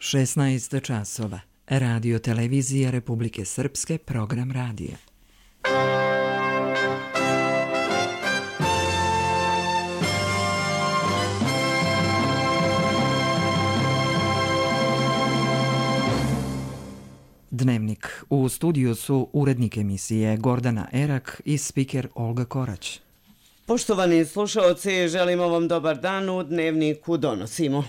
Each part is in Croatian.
16 časova. Radio Televizija Republike Srpske, program radija. Dnevnik. U studiju su urednik emisije Gordana Erak i spiker Olga Korać. Poštovani slušaoci, želimo vam dobar dan, u Dnevniku donosimo.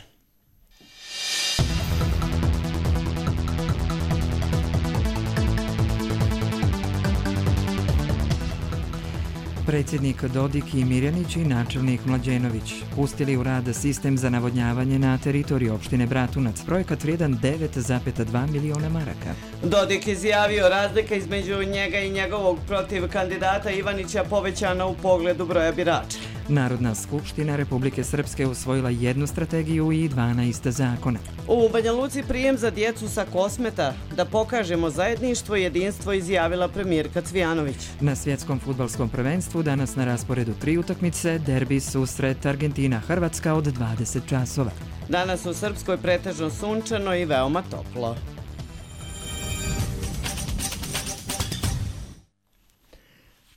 Predsjednik Dodik i Mirjanić i načelnik Mlađenović pustili u rad sistem za navodnjavanje na teritoriji opštine Bratunac, projekat vrijedan 9,2 miliona maraka. Dodik izjavio razlika između njega i njegovog protiv kandidata Ivanića povećana u pogledu broja birača. Narodna skupština Republike Srpske usvojila jednu strategiju i 12 zakona. U Banja Luci prijem za djecu sa Kosmeta, da pokažemo zajedništvo i jedinstvo, izjavila premijerka Cvijanović. Na svjetskom fudbalskom prvenstvu danas na rasporedu 3 utakmice, derbi susret Argentina-Hrvatska od 20 časova. Danas u Srpskoj pretežno sunčano i veoma toplo.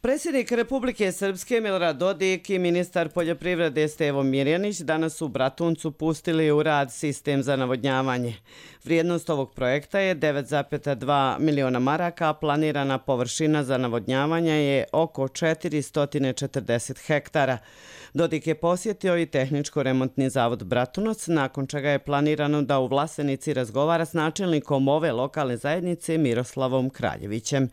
Predsjednik Republike Srpske Milorad Dodik i ministar poljoprivrede Stevo Mirjanić danas u Bratuncu pustili u rad sistem za navodnjavanje. Vrijednost ovog projekta je 9,2 miliona maraka, a planirana površina za navodnjavanje je oko 440 hektara. Dodik je posjetio i Tehničko-remontni zavod Bratunac, nakon čega je planirano da u Vlasenici razgovara s načelnikom ove lokalne zajednice Miroslavom Kraljevićem.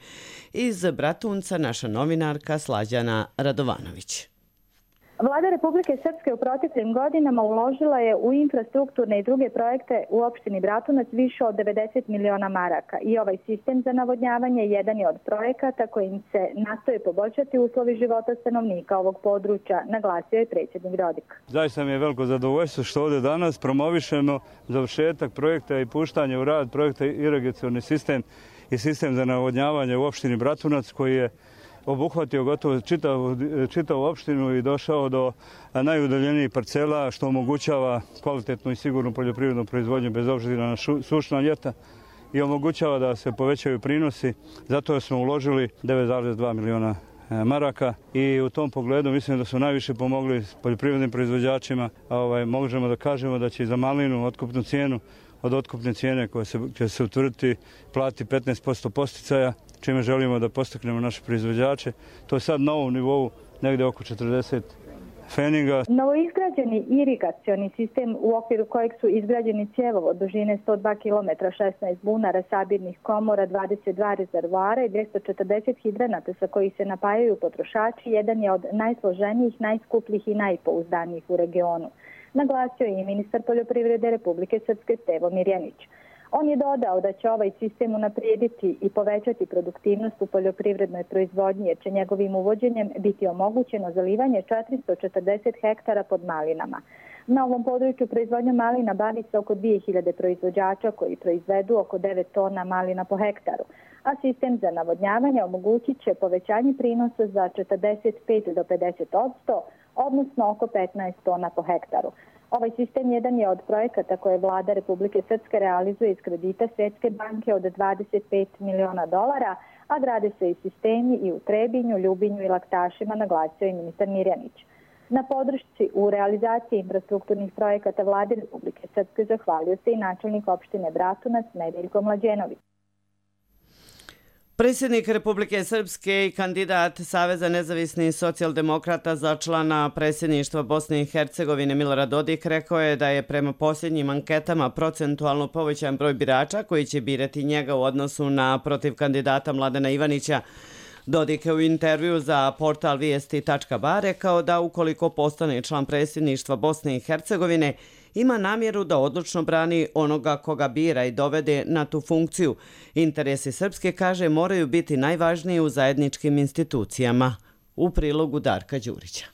Iz Bratunca naša novinarka Slađana Radovanović. Vlada Republike Srpske u proteklim godinama uložila je u infrastrukturne i druge projekte u opštini Bratunac više od 90 miliona maraka i ovaj sistem za navodnjavanje jedan je od projekata kojim se nastoje poboljšati uslovi života stanovnika ovog područja, naglasio je predsjednik Dodik. Zaista mi je veliko zadovoljstvo što ovdje danas promovišemo završetak projekta i puštanje u rad projekta irigacioni sistem i sistem za navodnjavanje u opštini Bratunac, koji je obuhvatio gotovo čitavu opštinu i došao do najudaljenijih parcela, što omogućava kvalitetnu i sigurnu poljoprivrednu proizvodnju bez obzira na sušna ljeta i omogućava da se povećaju prinosi. Zato smo uložili 9,2 miliona maraka i u tom pogledu mislim da su najviše pomogli poljoprivrednim proizvođačima. Možemo da kažemo da će za malinu otkupnu cijenu od otkupne cijene koja će se utvrditi plati 15% posticaja, čime želimo da postaknemo naše proizvođače. To je sad na ovom nivou negdje oko 40 feninga. Novoizgrađeni irigacioni sistem u okviru kojeg su izgrađeni cjevovod dužine 102 km, 16 bunara, sabirnih komora, 22 rezervoara i 240 hidranata sa koji se napajaju potrošači, jedan je od najsloženijih, najskupljih i najpouzdanijih u regionu. Naglasio je i ministar poljoprivrede Republike Srpske Stevo Mirjanić. On je dodao da će ovaj sistem unaprijediti i povećati produktivnost u poljoprivrednoj proizvodnji, jer će njegovim uvođenjem biti omogućeno zalivanje 440 hektara pod malinama. Na ovom području proizvodnja malina bavi se oko 2000 proizvođača koji proizvedu oko 9 tona malina po hektaru, a sistem za navodnjavanje omogućit će povećanje prinosa za 45 do 50%, odnosno oko 15 tona po hektaru. Ovaj sistem jedan je od projekata koje vlada Republike Srpske realizuje iz kredita Svjetske banke od 25 miliona dolara, a grade se i sistemi i u Trebinju, Ljubinju i Laktašima, naglasio je ministar Mirjanić. Na podršci u realizaciji infrastrukturnih projekata vlade Republike Srpske zahvalio se i načelnik opštine Bratunac Nedeljko Mlađenović. Predsjednik Republike Srpske i kandidat Saveza nezavisnih socijaldemokrata za člana predsjedništva Bosne i Hercegovine Milorad Dodik rekao je da je prema posljednjim anketama procentualno povećan broj birača koji će birati njega u odnosu na protiv kandidata Mladena Ivanića. Dodik je u intervju za portal vijesti.ba rekao da ukoliko postane član predsjedništva Bosne i Hercegovine, ima namjeru da odlučno brani onoga koga bira i dovede na tu funkciju. Interesi Srpske, kaže, moraju biti najvažniji u zajedničkim institucijama. U prilogu Darka Đurića.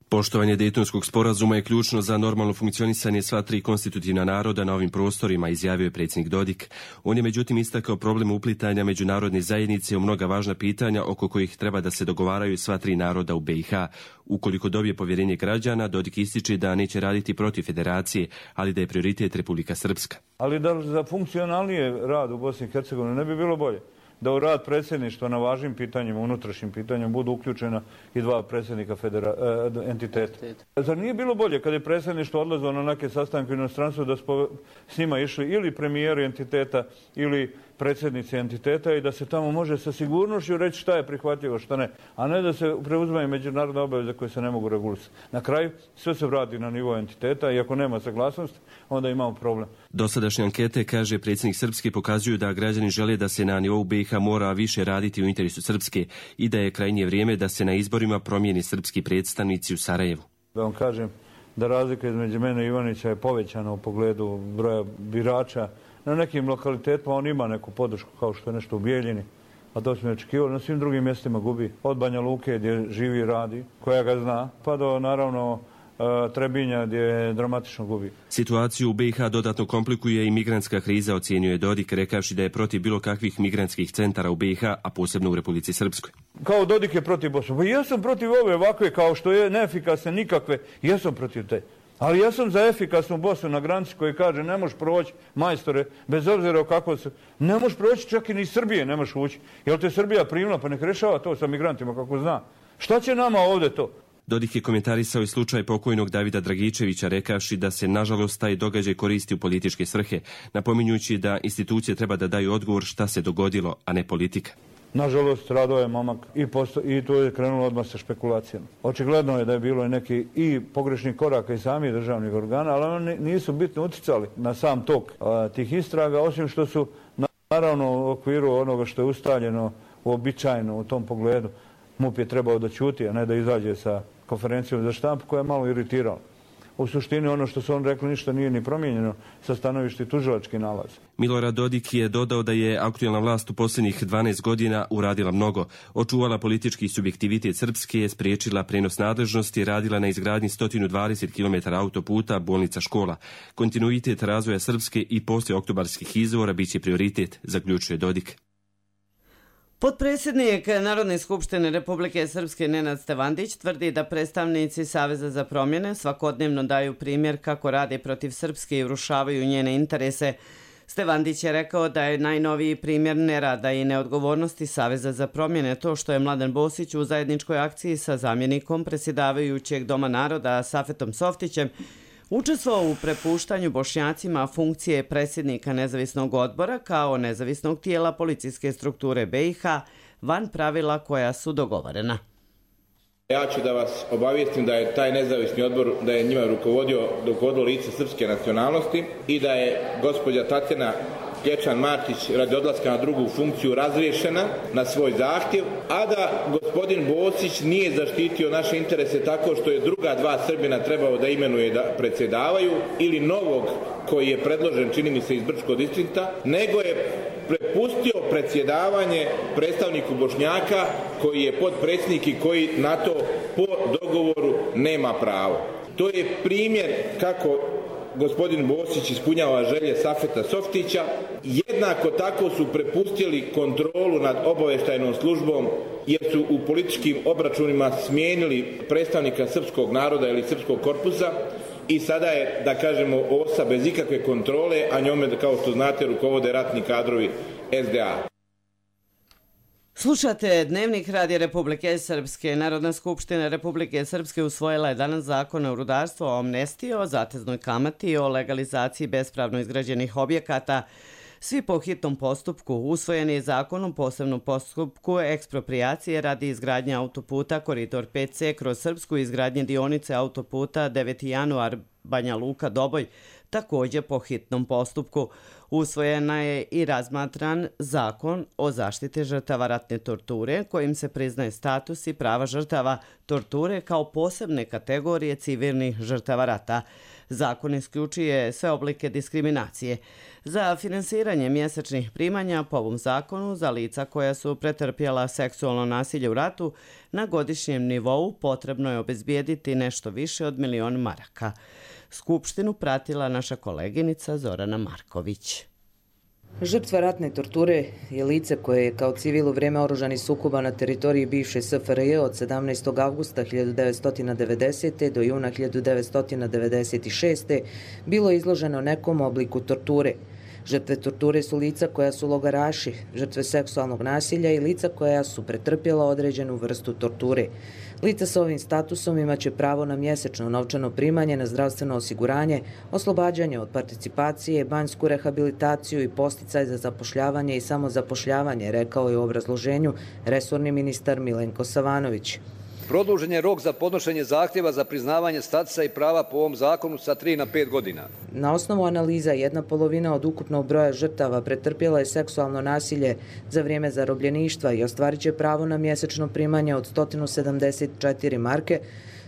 Poštovanje Dejtonskog sporazuma je ključno za normalno funkcionisanje sva tri konstitutivna naroda na ovim prostorima, izjavio je predsjednik Dodik. On je međutim istakao problem uplitanja međunarodne zajednice u mnoga važna pitanja oko kojih treba da se dogovaraju sva tri naroda u BiH. Ukoliko dobije povjerenje građana, Dodik ističe da neće raditi protiv federacije, ali da je prioritet Republika Srpska. Ali da za funkcionalnije rad u Bosni i Hercegovini ne bi bilo bolje da u rad predsjedništva na važnim pitanjima, unutrašnjim pitanjima budu uključena i dva predsjednika entiteta. Zar nije bilo bolje kada je predsjedništvo odlazilo na neke sastanke u inostranstvu da s njima išli ili premijeri entiteta ili predsjednici entiteta i da se tamo može sa sigurnošću reći šta je prihvatljivo, šta ne, a ne da se preuzimaju međunarodne obaveze koje se ne mogu regulisati. Na kraju sve se vrati na nivo entiteta i ako nema saglasnosti, onda imamo problem. Dosadašnje ankete, kaže predsjednik Srpske, pokazuju da građani žele da se na nivou BiH mora više raditi u interesu Srpske i da je krajnje vrijeme da se na izborima promijeni srpski predstavnici u Sarajevu. Da vam kažem da razlika između mene i Ivanića je povećana u pogledu broja birača. Na nekim lokalitetima on ima neku podršku kao što je nešto u Bijeljini, a to smo očekivali. Na svim drugim mjestima gubi. Od Banja Luke gdje živi i radi, koja ga zna, pa do naravno Trebinja gdje dramatično gubi. Situaciju u BiH dodatno komplikuje i migrantska kriza, ocjenjuje Dodik, rekavši da je protiv bilo kakvih migrantskih centara u BiH, a posebno u Republici Srpskoj. Kao Dodik je protiv Bosne. Pa ja sam protiv ove ovakve kao što je neefikasne nikakve, ja sam protiv te. Ali ja sam za efikasnu Bosnu na granici koji kaže ne možeš proći majstore, bez obzira o kako se... Ne možeš proći, čak i ni Srbije ne možeš ući. Jel te Srbija primila, pa nek rešava to sa migrantima kako zna. Šta će nama ovdje to? Dodik je komentarisao i slučaj pokojnog Davida Dragičevića, rekavši da se nažalost taj događaj koristi u političke svrhe, napominjući da institucije treba da daju odgovor šta se dogodilo, a ne politika. Nažalost, radao je momak i to je krenulo odmah sa špekulacijama. Očigledno je da je bilo i neki i pogrešnih koraka i samih državnih organa, ali oni nisu bitno uticali na sam tok tih istraga, osim što su naravno u okviru onoga što je ustaljeno uobičajeno u tom pogledu. MUP je trebao da ćuti, a ne da izađe sa konferencijom za štampu koja je malo iritirala. U suštini ono što su on rekli ništa nije ni promijenjeno sa stanovišta tužilački nalaz. Milorad Dodik je dodao da je aktuelna vlast u posljednjih 12 godina uradila mnogo. Očuvala politički subjektivitet Srpske, spriječila prenos nadležnosti, radila na izgradnji 120 km autoputa, bolnica, škola. Kontinuitet razvoja Srpske i poslije oktobarskih izbora biće prioritet, zaključuje Dodik. Potpredsjednik Narodne skupštine Republike Srpske Nenad Stevandić tvrdi da predstavnici Saveza za promjene svakodnevno daju primjer kako rade protiv Srpske i urušavaju njene interese. Stevandić je rekao da je najnoviji primjer nerada i neodgovornosti Saveza za promjene to što je Mladen Bosić u zajedničkoj akciji sa zamjenikom predsjedavajućeg Doma naroda Safetom Softićem učestvovao u prepuštanju Bošnjacima funkcije predsjednika nezavisnog odbora kao nezavisnog tijela policijske strukture BiH van pravila koja su dogovorena. Ja ću da vas obavijestim da je taj nezavisni odbor, da je njima rukovodilo lice srpske nacionalnosti i da je gospođa Tatjana Klječan-Martić radi odlaska na drugu funkciju razriješena na svoj zahtjev, a da gospodin Bosić nije zaštitio naše interese tako što je druga dva Srbina trebao da imenuje da predsjedavaju ili novog koji je predložen, čini mi se, iz Brčkog distrikta, nego je prepustio predsjedavanje predstavniku Bošnjaka koji je potpredsjednik i koji na to po dogovoru nema pravo. To je primjer kako gospodin Bosić ispunjava želje Safeta Softića. Jednako tako su prepustili kontrolu nad obavještajnom službom jer su u političkim obračunima smijenili predstavnika srpskog naroda ili srpskog korpusa i sada je, da kažemo, OSA bez ikakve kontrole, a njome, kao što znate, rukovode ratni kadrovi SDA. Slušate Dnevnik Radija Republike Srpske. Narodna skupština Republike Srpske usvojila je danas zakon o rudarstvu, o amnestiji, o zateznoj kamati i o legalizaciji bespravno izgrađenih objekata. Svi po hitnom postupku. Usvojen je zakon o posebnom postupku eksproprijacije radi izgradnje autoputa Koridor 5C kroz Srpsku i izgradnje dionice autoputa 9. januar Banja Luka Doboj, također po hitnom postupku. Usvojena je i razmatran zakon o zaštiti žrtava ratne torture, kojim se priznaje status i prava žrtava torture kao posebne kategorije civilnih žrtava rata. Zakon isključuje sve oblike diskriminacije. Za finansiranje mjesečnih primanja po ovom zakonu za lica koja su pretrpjela seksualno nasilje u ratu na godišnjem nivou potrebno je obezbijediti nešto više od 1.000.000 maraka. Skupštinu pratila naša koleginica Zorana Marković. Žrtva ratne torture je lice koje je kao civil u vrijeme oružanih sukoba na teritoriji bivše SFRJ od 17. avgusta 1990. do juna 1996. bilo izloženo nekom obliku torture. Žrtve torture su lica koja su logaraši, žrtve seksualnog nasilja i lica koja su pretrpjela određenu vrstu torture. Lica sa ovim statusom imaće pravo na mjesečno novčano primanje, na zdravstveno osiguranje, oslobađanje od participacije, banjsku rehabilitaciju i posticaj za zapošljavanje i samozapošljavanje, rekao je u obrazloženju resorni ministar Milenko Savanović. Produžen je rok za podnošenje zahtjeva za priznavanje statusa i prava po ovom zakonu sa 3 na 5 godina. Na osnovu analiza 1/2 od ukupnog broja žrtava pretrpjela je seksualno nasilje za vrijeme zarobljeništva i ostvarit će pravo na mjesečno primanje od 174 marke.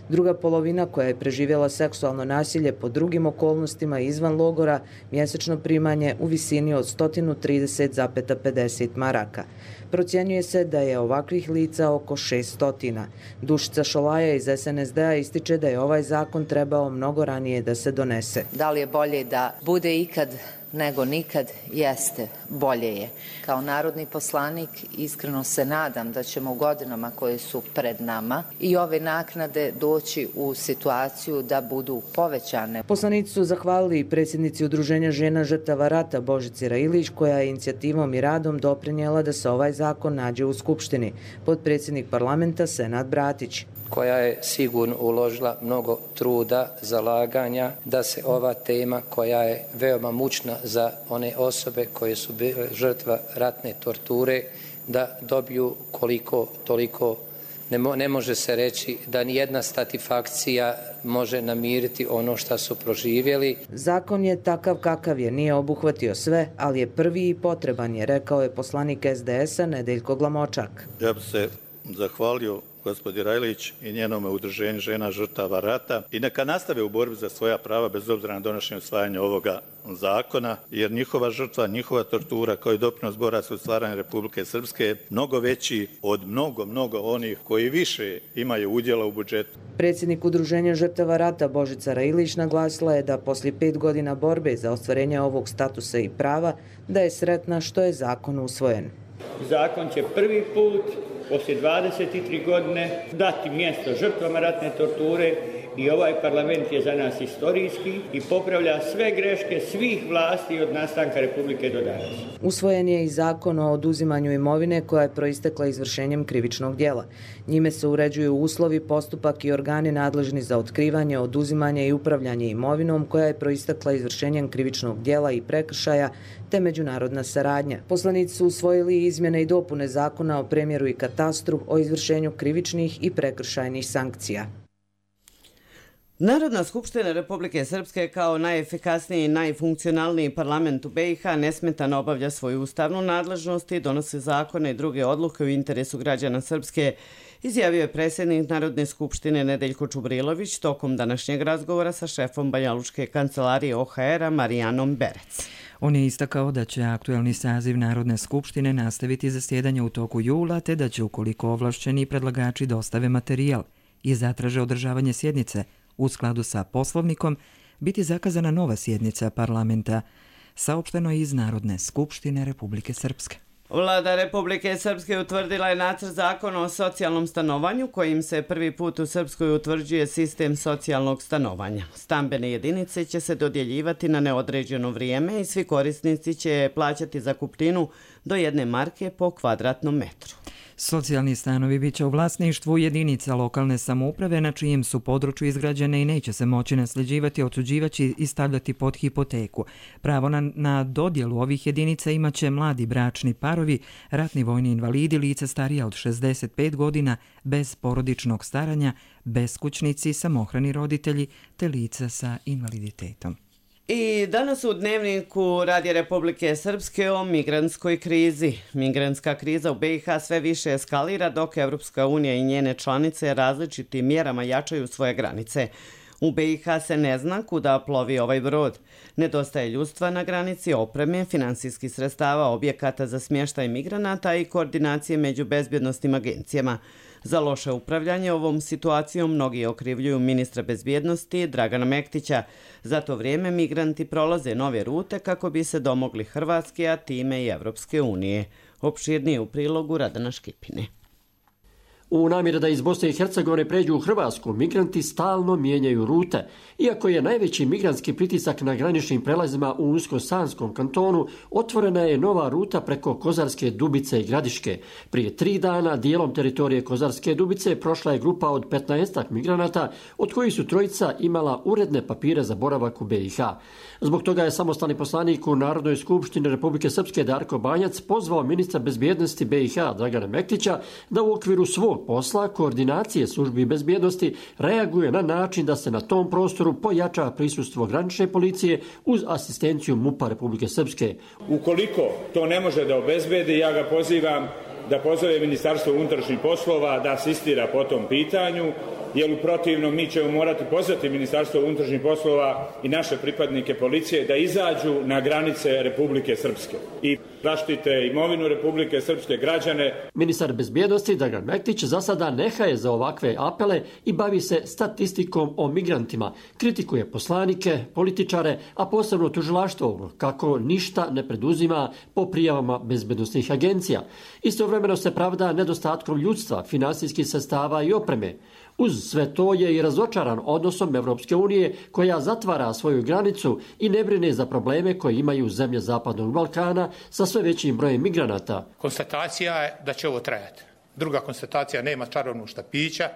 Druga polovina koja je preživjela seksualno nasilje pod drugim okolnostima izvan logora, mjesečno primanje u visini od 130,50 maraka. Procjenjuje se da je ovakvih lica oko 600. Dušica Šolaja iz SNSD-a ističe da je ovaj zakon trebao mnogo ranije da se donese. Da li je bolje da bude ikad nego nikad? Jeste, bolje je. Kao narodni poslanik iskreno se nadam da ćemo u godinama koje su pred nama i ove naknade doći u situaciju da budu povećane. Poslanici su zahvalili i predsjednici Udruženja žena žrtava rata Božici Railić, koja je inicijativom i radom doprinijela da se ovaj zakon nađe u Skupštini. Potpredsjednik parlamenta Senad Bratić. Koja je sigurno uložila mnogo truda, zalaganja da se ova tema koja je veoma mučna za one osobe koje su bile žrtva ratne torture, da dobiju koliko toliko. Ne može se reći da nijedna satisfakcija može namiriti ono što su proživjeli. Zakon je takav kakav je, nije obuhvatio sve, ali je prvi i potreban je, rekao je poslanik SDS-a Nedeljko Glamočak. Ja bih se zahvalio gospođi Railić i njenome udruženju žena žrtava rata i neka nastave u borbi za svoja prava bez obzira na donošenje usvajanja ovoga zakona, jer njihova žrtva, njihova tortura kao i doprinos boraca u stvaranju Republike Srpske je mnogo veći od mnogo onih koji više imaju udjela u budžetu. Predsjednik Udruženja žrtava rata Božica Railić naglasila je da poslije 5 godina borbe za ostvarenje ovog statusa i prava da je sretna što je zakon usvojen. Zakon će prvi put poslije 23 godine dati mjesto žrtvama ratne torture i ovaj parlament je za nas istorijski i popravlja sve greške svih vlasti od nastanka Republike do danas. Usvojen je i zakon o oduzimanju imovine koja je proistekla izvršenjem krivičnog djela. Njime se uređuju uslovi, postupak i organi nadležni za otkrivanje, oduzimanje i upravljanje imovinom koja je proistekla izvršenjem krivičnog djela i prekršaja te međunarodna saradnja. Poslanici su usvojili izmjene i dopune zakona o premjeru i katastru, o izvršenju krivičnih i prekršajnih sankcija. Narodna skupština Republike Srpske kao najefikasniji i najfunkcionalniji parlament u BiH nesmetano obavlja svoju ustavnu nadležnost i donosi zakone i druge odluke u interesu građana Srpske, izjavio je predsjednik Narodne skupštine Nedeljko Čubrilović tokom današnjeg razgovora sa šefom Banjalučke kancelarije OHR-a Marijanom Berec. On je istakao da će aktuelni saziv Narodne skupštine nastaviti zasjedanje u toku jula, te da će, ukoliko ovlašćeni predlagači dostave materijal i zatraže održavanje sjednice u skladu sa Poslovnikom, biti zakazana nova sjednica parlamenta, saopšteno iz Narodne skupštine Republike Srpske. Vlada Republike Srpske utvrdila je nacrt zakona o socijalnom stanovanju kojim se prvi put u Srpskoj utvrđuje sistem socijalnog stanovanja. Stambene jedinice će se dodjeljivati na neodređeno vrijeme i svi korisnici će plaćati zakupninu do 1 marke po kvadratnom metru. Socijalni stanovi biće u vlasništvu jedinica lokalne samouprave na čijem su području izgrađene i neće se moći nasljeđivati, otuđivati i stavljati pod hipoteku. Pravo na dodjelu ovih jedinica imaće mladi bračni parovi, ratni vojni invalidi, lica starija od 65 godina, bez porodičnog staranja, beskućnici, samohrani roditelji te lica sa invaliditetom. I danas u dnevniku Radija Republike Srpske o migrantskoj krizi. Migrantska kriza u BiH sve više eskalira dok Evropska unija i njene članice različitim mjerama jačaju svoje granice. U BiH se ne zna kuda plovi ovaj brod. Nedostaje ljudstva na granici, opreme, finansijskih sredstava, objekata za smještaj migranata i koordinacije među bezbjednosnim agencijama. Za loše upravljanje ovom situacijom mnogi okrivljuju ministra bezbjednosti Dragana Mektića. Za to vrijeme migranti prolaze nove rute kako bi se domogli Hrvatske, a time i Evropske unije. Opširnije u prilogu Radana Škipine. U namjeri da iz Bosne i Hercegovine pređu u Hrvatsku, migranti stalno mijenjaju rute. Iako je najveći migrantski pritisak na graničnim prelazima u Unsko-Sanskom kantonu, otvorena je nova ruta preko Kozarske Dubice i Gradiške. Prije 3 dana dijelom teritorije Kozarske Dubice prošla je grupa od 15 migranata, od kojih su 3 imala uredne papire za boravak u BiH. Zbog toga je samostalni poslanik u Narodnoj skupštini Republike Srpske Darko Banjac pozvao ministra bezbjednosti BiH Dragana Mektića da u okviru svog posla koordinacije službi bezbjednosti reaguje na način da se na tom prostoru pojača prisustvo granične policije uz asistenciju MUP-a Republike Srpske. Ukoliko to ne može da obezbedi, ja ga pozivam da pozove Ministarstvo unutrašnjih poslova da asistira po tom pitanju, jer u protivnom mi ćemo morati pozvati Ministarstvo unutrašnjih poslova i naše pripadnike policije da izađu na granice Republike Srpske i zaštite imovinu Republike Srpske, građane. Ministar bezbjednosti Dragan Mektić za sada nehaje za ovakve apele i bavi se statistikom o migrantima. Kritikuje poslanike, političare, a posebno tužilaštvo kako ništa ne preduzima po prijavama bezbjednosnih agencija. Istovremeno se pravda nedostatkom ljudstva, finansijskih sredstava i opreme. Uz sve to je i razočaran odnosom Evropske unije koja zatvara svoju granicu i ne brine za probleme koje imaju zemlje Zapadnog Balkana sa sve većim brojem migranata. Konstatacija je da će ovo trajati. Druga konstatacija, nema čarobnog štapića,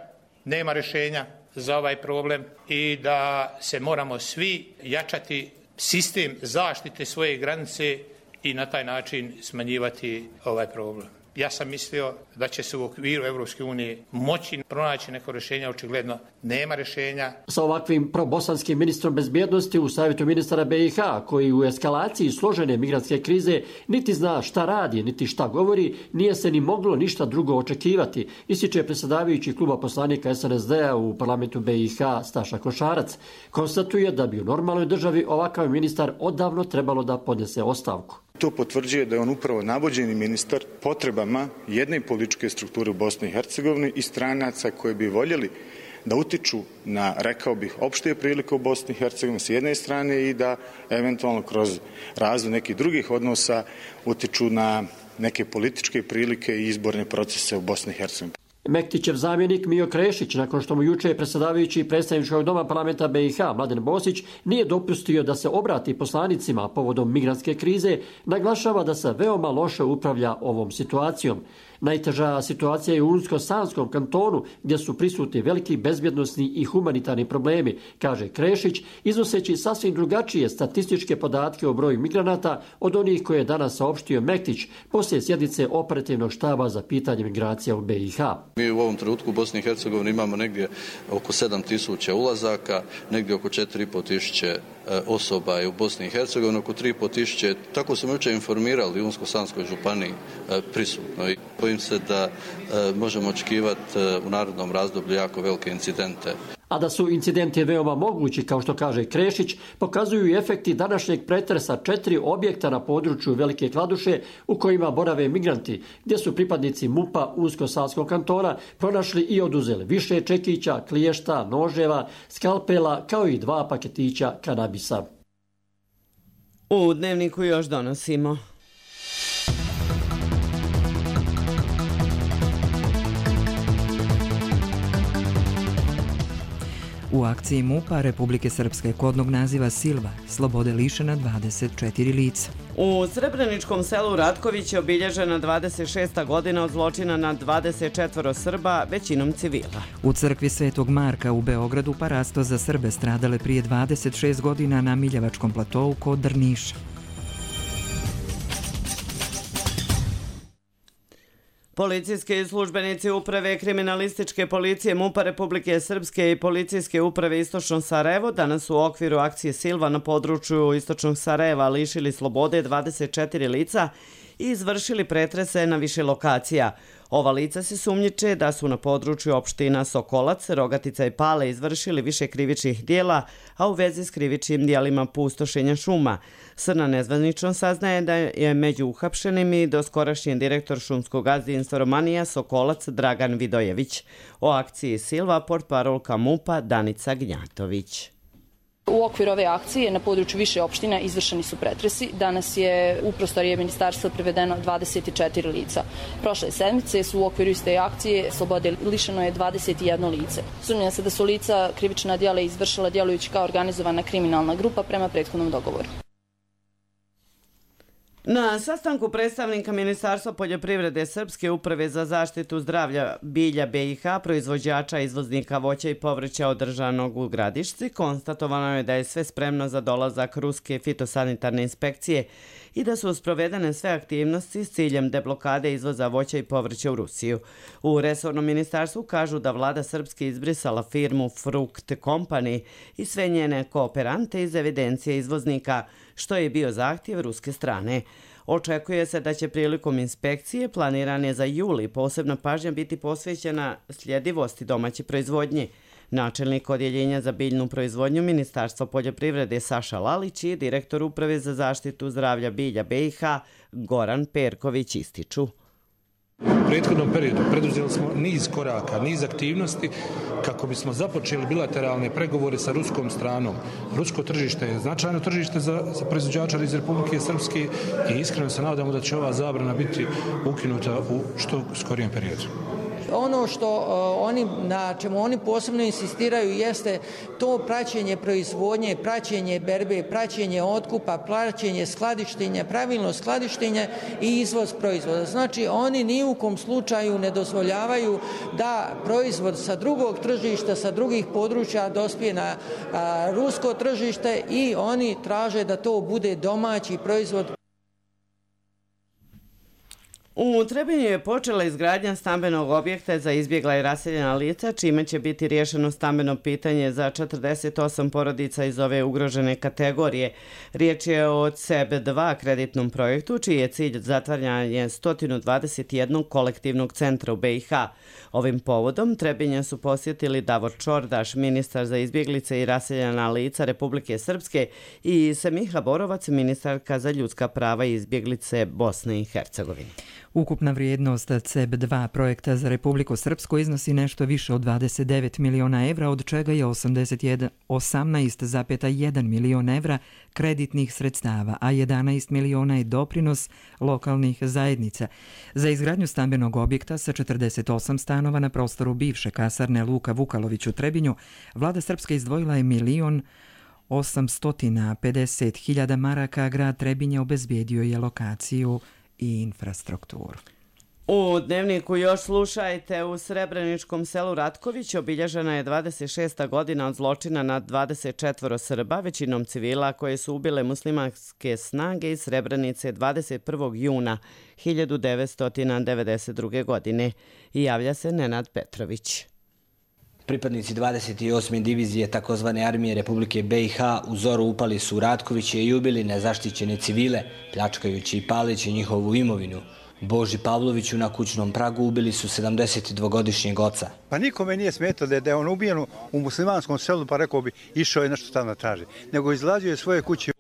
nema rješenja za ovaj problem i da se moramo svi jačati sistem zaštite svoje granice i na taj način smanjivati ovaj problem. Ja sam mislio da će se u okviru Evropske unije moći pronaći neko rješenje, očigledno nema rješenja. Sa ovakvim probosanskim ministrom bezbjednosti u Savjetu ministara BiH, koji u eskalaciji složene migrantske krize niti zna šta radi, niti šta govori, nije se ni moglo ništa drugo očekivati, ističe predsjedavajući kluba poslanika SNSD-a u parlamentu BiH Staša Košarac. Konstatuje da bi u normalnoj državi ovakav ministar odavno trebalo da podnese ostavku. To potvrđuje da je on upravo navođeni ministar potrebama jedne političke strukture u Bosni i Hercegovini i stranaca koji bi voljeli da utiču na, rekao bih, opšte prilike u Bosni i Hercegovini s jedne strane i da eventualno kroz razvoj nekih drugih odnosa utiču na neke političke prilike i izborne procese u Bosni i Hercegovini. Mektićev zamjenik Mijo Krešić, nakon što mu juče predsedavajući predstavničkog doma parlamenta BiH Mladen Bosić nije dopustio da se obrati poslanicima povodom migrantske krize, naglašava da se veoma loše upravlja ovom situacijom. Najteža situacija je u Unsko-Sanskom kantonu, gdje su prisutni veliki bezbjednosni i humanitarni problemi, kaže Krešić, iznoseći sasvim drugačije statističke podatke o broju migranata od onih koje je danas saopštio Mektić poslije sjednice operativnog štaba za pitanje migracija u BiH. Mi u ovom trenutku u Bosni i Hercegovini imamo negdje oko 7.000 ulazaka, negdje oko 4.500 osoba je u Bosni i Hercegovini, oko 3.500, tako smo jučer informirali u Unsko-Sanskoj županiji prisutno. I bojim se da možemo očekivati u narednom razdoblju jako velike incidente. A da su incidenti veoma mogući, kao što kaže Krešić, pokazuju i efekti današnjeg pretresa 4 objekta na području Velike Kladuše u kojima borave migranti, gdje su pripadnici MUP-a Unsko-Sanskog kantona pronašli i oduzeli više čekića, kliješta, noževa, skalpela, kao i 2 paketića kanabisa. U Dnevniku još donosimo. U akciji MUP-a Republike Srpske kodnog naziva Silva, slobode lišena 24 lica. U Srebreničkom selu Ratković je obilježena 26. godina od zločina nad 24 Srba, većinom civila. U crkvi Svetog Marka u Beogradu parasto za Srbe stradale prije 26 godina na Miljevačkom platovu kod Drniša. Policijski službenici uprave kriminalističke policije MUP-a Republike Srpske i policijske uprave Istočno Sarajevo danas u okviru akcije Silva na području Istočnog Sarajeva lišili slobode 24 lica i izvršili pretrese na više lokacija. Ova lica se sumnjiče da su na području opština Sokolac, Rogatica i Pale izvršili više krivičnih dijela, a u vezi s krivičnim dijelima pustošenja šuma. Srna nezvanično saznaje da je među uhapšenim i doskorašnji direktor šumskog gazdinstva Romanija Sokolac Dragan Vidojević. O akciji Silva portparolka MUP-a Danica Gnjatović. U okviru ove akcije na području više opština izvršeni su pretresi. Danas je u prostorije ministarstva privedeno 24 lica. Prošle sedmice su u okviru iste akcije slobode lišeno je 21 lice. Sumnja se da su lica krivična djela izvršila djelujući kao organizovana kriminalna grupa prema prethodnom dogovoru. Na sastanku predstavnika Ministarstva poljoprivrede Srpske uprave za zaštitu zdravlja bilja BiH, proizvođača izvoznika voća i povrća održanog u Gradišci, konstatovano je da je sve spremno za dolazak ruske fitosanitarne inspekcije i da su sprovedene sve aktivnosti s ciljem deblokade izvoza voća i povrća u Rusiju. U resornom ministarstvu kažu da vlada Srpske izbrisala firmu Frukt Company i sve njene kooperante iz evidencije izvoznika, što je bio zahtjev ruske strane. Očekuje se da će prilikom inspekcije, planiran je za juli, posebna pažnja biti posvećena sljedivosti domaće proizvodnje. Načelnik odjeljenja za biljnu proizvodnju Ministarstva poljoprivrede Saša Lalić i direktor uprave za zaštitu zdravlja bilja BiH Goran Perković ističu. U prethodnom periodu preduzeli smo niz koraka, niz aktivnosti kako bismo započeli bilateralne pregovore sa ruskom stranom. Rusko tržište je značajno tržište za proizvođača iz Republike Srpske i iskreno se nadamo da će ova zabrana biti ukinuta u što skorijem periodu. Ono na čemu oni posebno insistiraju jeste to praćenje proizvodnje, praćenje berbe, praćenje otkupa, praćenje skladištenja, pravilno skladištenje i izvoz proizvoda. Znači oni ni u kom slučaju ne dozvoljavaju da proizvod sa drugog tržišta, sa drugih područja dospije na rusko tržište i oni traže da to bude domaći proizvod. U Trebinju je počela izgradnja stambenog objekta za izbjegla i raseljena lica, čime će biti riješeno stambeno pitanje za 48 porodica iz ove ugrožene kategorije. Riječ je o CEB2 kreditnom projektu, čiji je cilj zatvaranje 121 kolektivnog centra u BiH. Ovim povodom Trebinja su posjetili Davor Čordaš, ministar za izbjeglice i raseljena lica Republike Srpske, i Semiha Borovac, ministarka za ljudska prava i izbjeglice Bosne i Hercegovine. Ukupna vrijednost CEB2 projekta za Republiku Srpsku iznosi nešto više od 29 miliona evra, od čega je 18,1 milion evra kreditnih sredstava, a 11 miliona je doprinos lokalnih zajednica. Za izgradnju stambenog objekta sa 48 stanova na prostoru bivše kasarne Luka Vukalović u Trebinju, vlada Srpska izdvojila je 1.850.000 maraka, a grad Trebinje obezbijedio je lokaciju i infrastrukturu. U Dnevniku još slušajte, u Srebreničkom selu Ratković obilježena je 26. godina od zločina nad 24 Srba, većinom civila, koje su ubile muslimanske snage iz Srebrenice 21. juna 1992. godine. I javlja se Nenad Petrović. Pripadnici 28. divizije takozvane armije Republike BiH u zoru upali su u Ratkoviće i ubili nezaštićene civile, pljačkajući i paleći njihovu imovinu. Boži Pavloviću na kućnom pragu ubili su 72-godišnjeg oca. Pa nikome nije smetao da je on ubijen u muslimanskom selu, pa rekao bi išao je nešto tamo traži, nego izlazio je svoje kuće.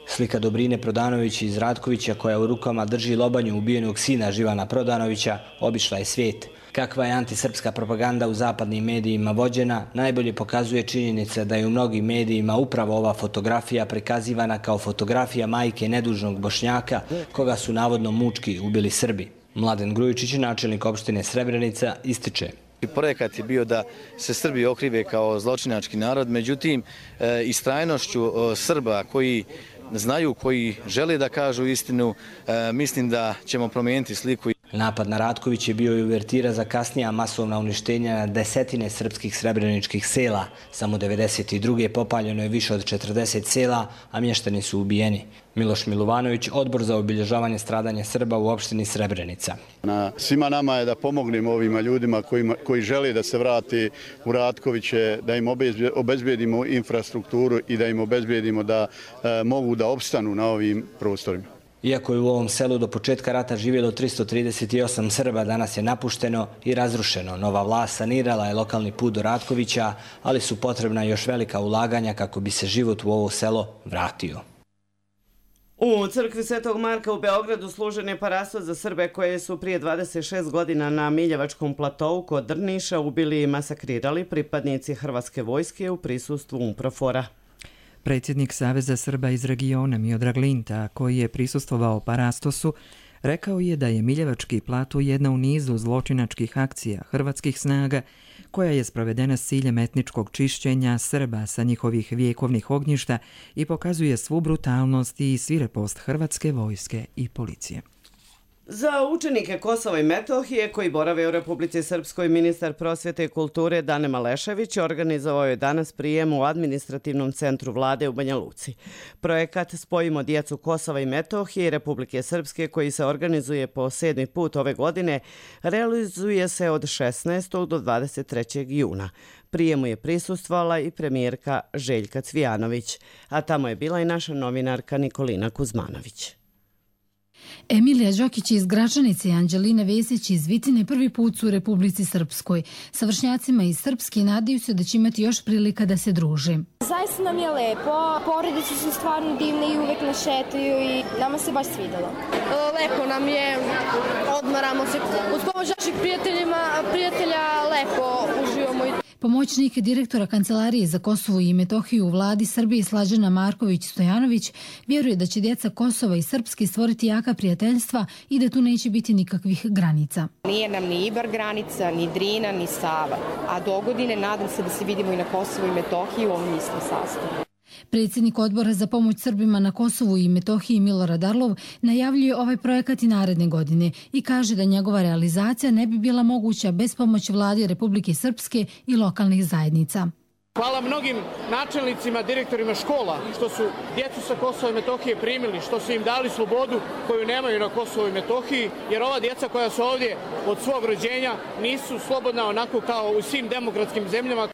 Slika Dobrine Prodanović iz Ratkovića, koja u rukama drži lobanju ubijenog sina Živana Prodanovića, obišla je svijet. Kakva je antisrpska propaganda u zapadnim medijima vođena, najbolje pokazuje činjenica da je u mnogim medijima upravo ova fotografija prikazivana kao fotografija majke nedužnog Bošnjaka, koga su navodno mučki ubili Srbi. Mladen Grujičić, načelnik opštine Srebrenica, ističe. Projekat je bio da se Srbi okrive kao zločinački narod, međutim, istrajnošću Srba koji znaju, koji žele da kažu istinu, mislim da ćemo promijeniti sliku. Napad na Ratković je bio i uvertira za kasnija masovna uništenja na desetine srpskih srebreničkih sela. Samo 92. popaljeno je više od 40 sela, a mještani su ubijeni. Miloš Milovanović, Odbor za obilježavanje stradanja Srba u opštini Srebrenica. Svima nama je da pomognemo ovima ljudima koji žele da se vrati u Ratkoviće, da im obezbijedimo infrastrukturu i da im obezbijedimo da mogu da opstanu na ovim prostorima. Iako je u ovom selu do početka rata živjelo 338 Srba, danas je napušteno i razrušeno. Nova vlast sanirala je lokalni put do Ratkovića, ali su potrebna još velika ulaganja kako bi se život u ovo selo vratio. U crkvi Svetog Marka u Beogradu služen je parasto za Srbe koje su prije 26 godina na Miljevačkom platovu kod Drniša ubili i masakrirali pripadnici Hrvatske vojske u prisustvu UNPROFOR-a. Predsjednik Saveza Srba iz regiona Miodrag Linta, koji je prisustvovao parastosu, rekao je da je Miljevački plato jedna u nizu zločinačkih akcija hrvatskih snaga koja je sprovedena s ciljem etničkog čišćenja Srba sa njihovih vjekovnih ognjišta i pokazuje svu brutalnost i svirepost Hrvatske vojske i policije. Za učenike Kosova i Metohije koji borave u Republici Srpskoj, ministar prosvjete i kulture Dane Malešević organizovao je danas prijem u administrativnom centru vlade u Banja Luci. Projekat Spojimo djecu Kosova i Metohije i Republike Srpske, koji se organizuje po 7. put ove godine, realizuje se od 16. do 23. juna. Prijemu je prisustvovala i premijerka Željka Cvijanović, a tamo je bila i naša novinarka Nikolina Kuzmanović. Emilija Đokić iz Gračanice i Anđelina Vesić iz Vitine prvi put su u Republici Srpskoj. Sa vršnjacima iz Srpske nadaju se da će imati još prilika da se druže. Zaista nam je lepo, porodice su stvarno divne i uvek nas šetaju i nama se baš svidalo. Lepo nam je, odmaramo se. Uz pomoć naših prijatelja lepo uživamo. Pomoćnik direktora Kancelarije za Kosovo i Metohiju u vladi Srbije Slađana Marković-Stojanović vjeruje da će djeca Kosova i Srpske stvoriti jaka prijateljstva i da tu neće biti nikakvih granica. Nije nam ni Ibar granica, ni Drina, ni Sava. A dogodine nadam se da se vidimo i na Kosovo i Metohiju u ovom istom sastavu. Predsjednik odbora za pomoć Srbima na Kosovu i Metohiji Milorad Arlov najavljuje ovaj projekat i naredne godine i kaže da njegova realizacija ne bi bila moguća bez pomoći vlade Republike Srpske i lokalnih zajednica. Hvala mnogim načelnicima, direktorima škola što su djecu sa Kosova i Metohije primili, što su im dali slobodu koju nemaju na Kosovu i Metohiji, jer ova djeca koja su ovdje od svog rođenja nisu slobodna onako kao u svim demokratskim zemljama.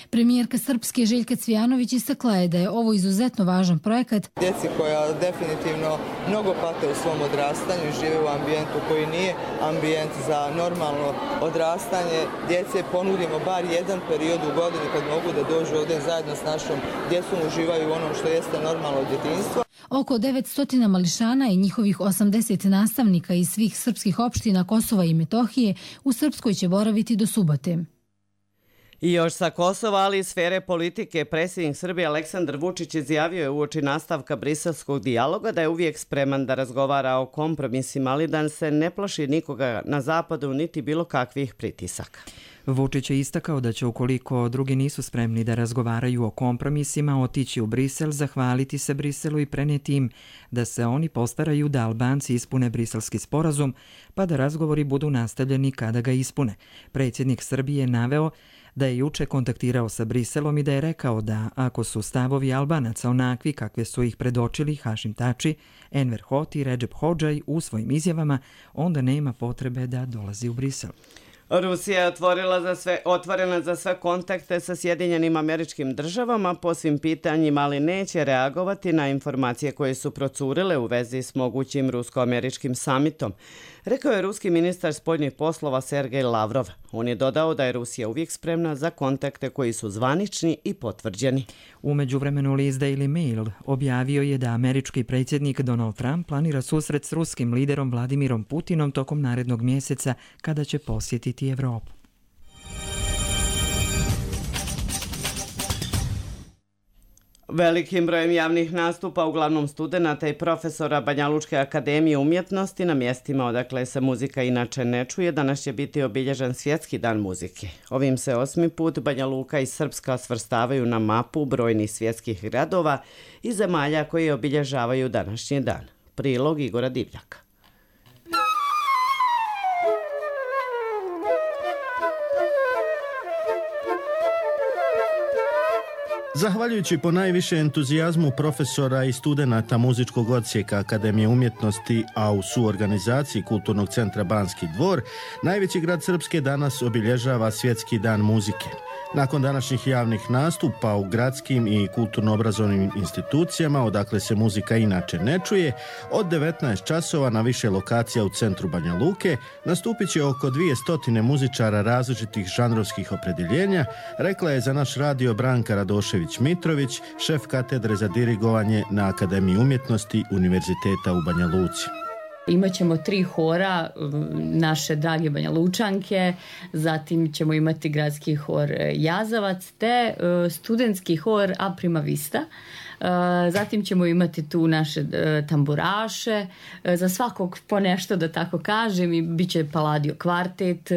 Premijerka Srpske Željka Cvijanović istakla je da je ovo izuzetno važan projekat. Djeci koja definitivno mnogo pate u svom odrastanju i žive u ambijentu koji nije ambijent za normalno odrastanje. Djece ponudimo bar jedan period u godini kad mogu da dođu ovdje zajedno s našom djecom, uživaju u onom što jeste normalno djetinjstvo. Oko 900 mališana i njihovih 80 nastavnika iz svih srpskih opština Kosova i Metohije u Srpskoj će boraviti do subote. I još sa Kosova, ali i sfere politike, predsjednik Srbije Aleksandar Vučić izjavio je uoči nastavka briselskog dijaloga da je uvijek spreman da razgovara o kompromisima, ali da se ne plaši nikoga na zapadu niti bilo kakvih pritisaka. Vučić je istakao da će, ukoliko drugi nisu spremni da razgovaraju o kompromisima, otići u Brisel, zahvaliti se Briselu i prenijeti im da se oni postaraju da Albanci ispune briselski sporazum, pa da razgovori budu nastavljeni kada ga ispune. Predsjednik Srbije je naveo da je juče kontaktirao sa Briselom i da je rekao da ako su stavovi Albanaca onakvi kakve su ih predočili Hašim Tači, Enver Hoti i Recep Hodžaj u svojim izjavama, onda nema potrebe da dolazi u Brisel. Rusija je otvorena za sve kontakte sa Sjedinjenim Američkim Državama po svim pitanjima, ali neće reagovati na informacije koje su procurile u vezi s mogućim rusko-američkim samitom, rekao je ruski ministar spoljnih poslova Sergej Lavrov. On je dodao da je Rusija uvijek spremna za kontakte koji su zvanični i potvrđeni. U međuvremenu list Daily Mail objavio je da američki predsjednik Donald Trump planira susret s ruskim liderom Vladimirom Putinom tokom narednog mjeseca kada će posjetiti Evropu. Velikim brojem javnih nastupa, uglavnom studenata i profesora Banjalučke akademije umjetnosti na mjestima odakle se muzika inače ne čuje, danas će biti obilježen Svjetski dan muzike. Ovim se 8. put Banja Luka i Srpska svrstavaju na mapu brojnih svjetskih gradova i zemalja koji obilježavaju današnji dan. Prilog Igora Divljaka. Zahvaljujući po najviše entuzijazmu profesora i studenata muzičkog odsjeka Akademije umjetnosti, a u suorganizaciji Kulturnog centra Banski dvor, najveći grad Srpske danas obilježava Svjetski dan muzike. Nakon današnjih javnih nastupa u gradskim i kulturno-obrazovnim institucijama, odakle se muzika inače ne čuje, od 19 časova na više lokacija u centru Banja Luke nastupit će oko 200 muzičara različitih žanrovskih opredjeljenja, rekla je za naš radio Branka Radošević-Mitrović, šef katedre za dirigovanje na Akademiji umjetnosti Univerziteta u Banja Luci. Imaćemo 3 hora naše drage Banja Lučanke, zatim ćemo imati gradski hor Jazavac te studentski hor A Prima Vista. Zatim ćemo imati tu naše tamburaše, za svakog po nešto da tako kažem, i bit će Palladio kvartet,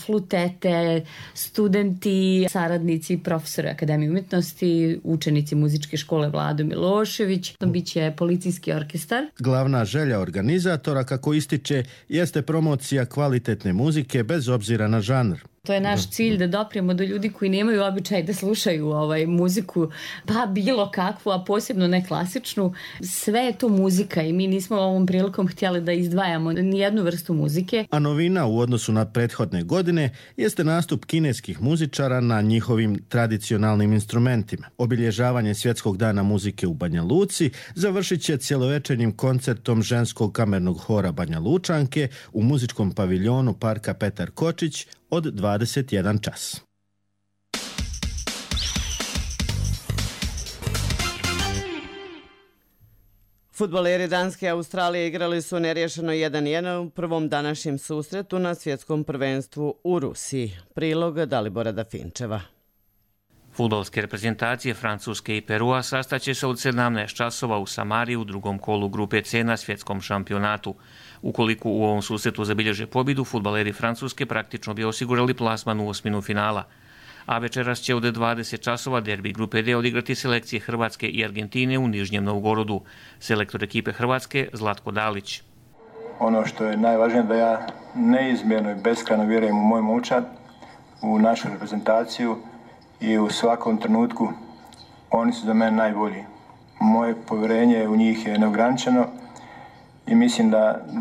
flutete, studenti, saradnici, profesori Akademije umjetnosti, učenici muzičke škole Vlado Milošević, bit će policijski orkestar. Glavna želja organizatora, kako ističe, jeste promocija kvalitetne muzike bez obzira na žanr. To je naš cilj, da doprijemo do ljudi koji nemaju običaj da slušaju muziku, pa bilo kakvu, a posebno ne klasičnu. Sve je to muzika i mi nismo ovom prilikom htjeli da izdvajamo nijednu vrstu muzike. A novina u odnosu na prethodne godine jeste nastup kineskih muzičara na njihovim tradicionalnim instrumentima. Obilježavanje Svjetskog dana muzike u Banja Luci završit će cjelovečernjim koncertom ženskog kamernog hora Banja Lučanke u muzičkom paviljonu Parka Petar Kočić od 21 čas. Fudbaleri Danske i Australije igrali su nerješeno 1-1 u prvom današnjem susretu na svjetskom prvenstvu u Rusiji. Prilog Dalibora Dafinčeva. Fudbalske reprezentacije Francuske i Perua sastaće se od 17 časova u Samari u drugom kolu grupe C na svjetskom šampionatu. Ukoliko u ovom susretu zabilježe pobjedu, fudbaleri Francuske praktično bi osigurali plasman u osminu finala. A večeras će od 20 časova derbi grupe D odigrati selekcije Hrvatske i Argentine u Nižnjem Novgorodu. Selektor ekipe Hrvatske Zlatko Dalić. Ono što je najvažnije da ja neizmjerno i beskrajno vjerujem u moj momčad, u našu reprezentaciju i u svakom trenutku oni su za mene najbolji. Moje povjerenje u njih je neograničeno i mislim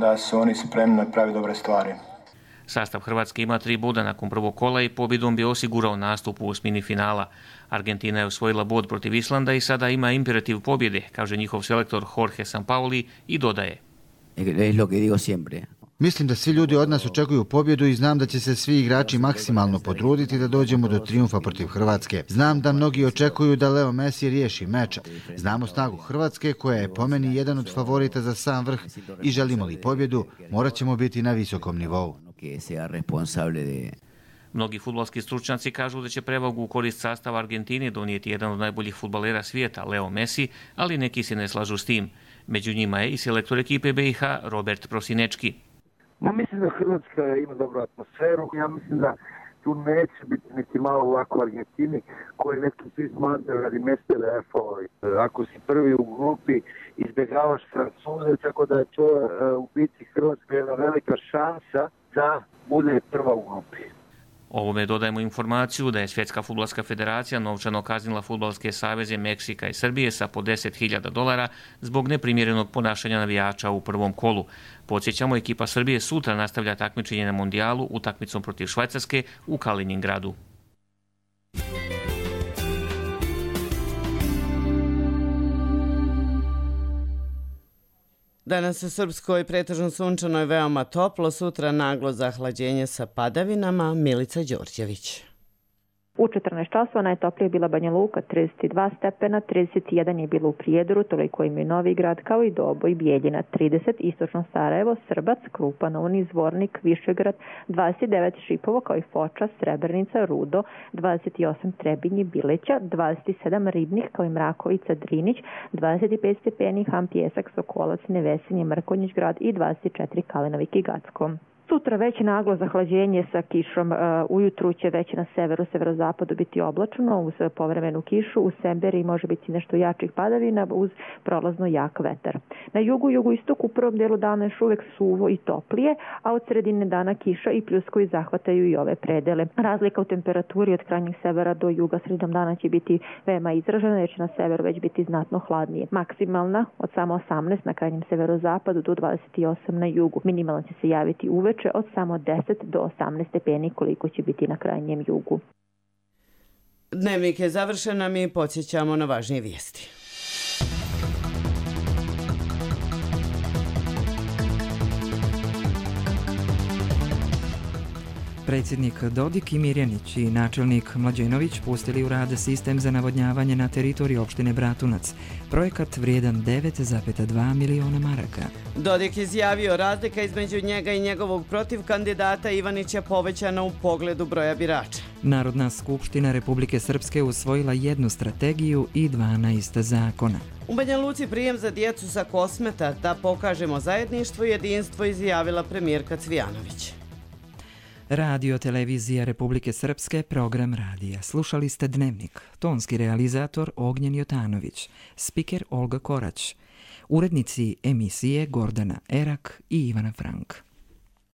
da su oni spremni napraviti dobre stvari. Sastav Hrvatske ima 3 boda nakon prvog kola i pobjedom bi osigurao nastup u osmini finala. Argentina je osvojila bod protiv Islanda i sada ima imperativ pobjede, kaže njihov selektor Jorge Sampaoli i dodaje. Mislim da svi ljudi od nas očekuju pobjedu i znam da će se svi igrači maksimalno potruditi da dođemo do trijumfa protiv Hrvatske. Znam da mnogi očekuju da Leo Messi riješi meč. Znamo snagu Hrvatske koja je po meni jedan od favorita za sam vrh i želimo li pobjedu, morat ćemo biti na visokom nivou. Mnogi fudbalski stručnjaci kažu da će prevagu u korist sastava Argentine donijeti jedan od najboljih fudbalera svijeta, Leo Messi, ali neki se ne slažu s tim. Među njima je i selektor ekipe BiH Robert Prosinečki. Mislim da Hrvatska ima dobru atmosferu. Ja mislim da tu neće biti neki malo ovako Argentini koji neki svi smatraju radi mjesta da je favorit. Ako si prvi u grupi, izbjegavaš Francuze, tako da je to u biti Hrvatska jedna velika šansa da bude prva u grupi. Ovome dodajemo informaciju da je Svjetska fudbalska federacija novčano kaznila fudbalske saveze Meksika i Srbije sa po $10.000 zbog neprimjerenog ponašanja navijača u prvom kolu. Podsjećamo, ekipa Srbije sutra nastavlja takmičenje na mondijalu utakmicom protiv Švajcarske u Kaliningradu. Danas u Srpskoj pretežno sunčano i veoma toplo, sutra naglo zahlađenje sa padavinama. Milica Đorđević. U 14 časova najtoplije je bila Banja Luka, 32 stepena, 31 je bilo u Prijedoru, toliko im je Novi Grad, kao i Doboj, Bijeljina, 30, Istočno Sarajevo, Srbac, Krupa, Novni, Zvornik, Višegrad, 29 Šipovo, kao i Foča, Srebrnica, Rudo, 28 Trebinji, Bileća, 27 Ribnih, kao i Mrakovica, Drinić, 25 stepeni, Ham, Pjesak, Sokolac, Nevesinje, Mrkonjić grad i 24 Kalenovik i Gacko. Sutra već naglo zahlađenje sa kišom. Ujutru će već na severu, severozapadu biti oblačno uz povremenu kišu. U Semberi može biti nešto jačih padavina uz prolazno jak vetar. Na jugu, jugoistoku u prvom delu dana još uvek suvo i toplije, a od sredine dana kiša i pljuskovi zahvataju i ove predele. Razlika u temperaturi od krajnjeg severa do juga sredinom dana će biti veoma izražena, jer će na severu već biti znatno hladnije. Maksimalna od samo 18 na krajnjem severozapadu do 28 na jugu. Minimalna će se javiti uveče od samo 10 do 18 stepeni koliko će biti na krajnjem jugu. Dnevnik je završen, a mi podsjećamo na važnije vijesti. Predsjednik Dodik i Mirjanić i načelnik Mlađenović pustili u rad sistem za navodnjavanje na teritoriji opštine Bratunac. Projekat vrijedan 9,2 miliona maraka. Dodik izjavio razlika između njega i njegovog protivkandidata Ivanića povećana u pogledu broja birača. Narodna skupština Republike Srpske usvojila 1 strategiju i 12 zakona. U Banja Luci prijem za djecu sa Kosmeta da pokažemo zajedništvo i jedinstvo, izjavila premijerka Cvijanović. Radio Televizija Republike Srpske, program radija. Slušali ste Dnevnik. Tonski realizator Ognjen Jotanović. Spiker Olga Korać. Urednici emisije Gordana Erak i Ivana Frank.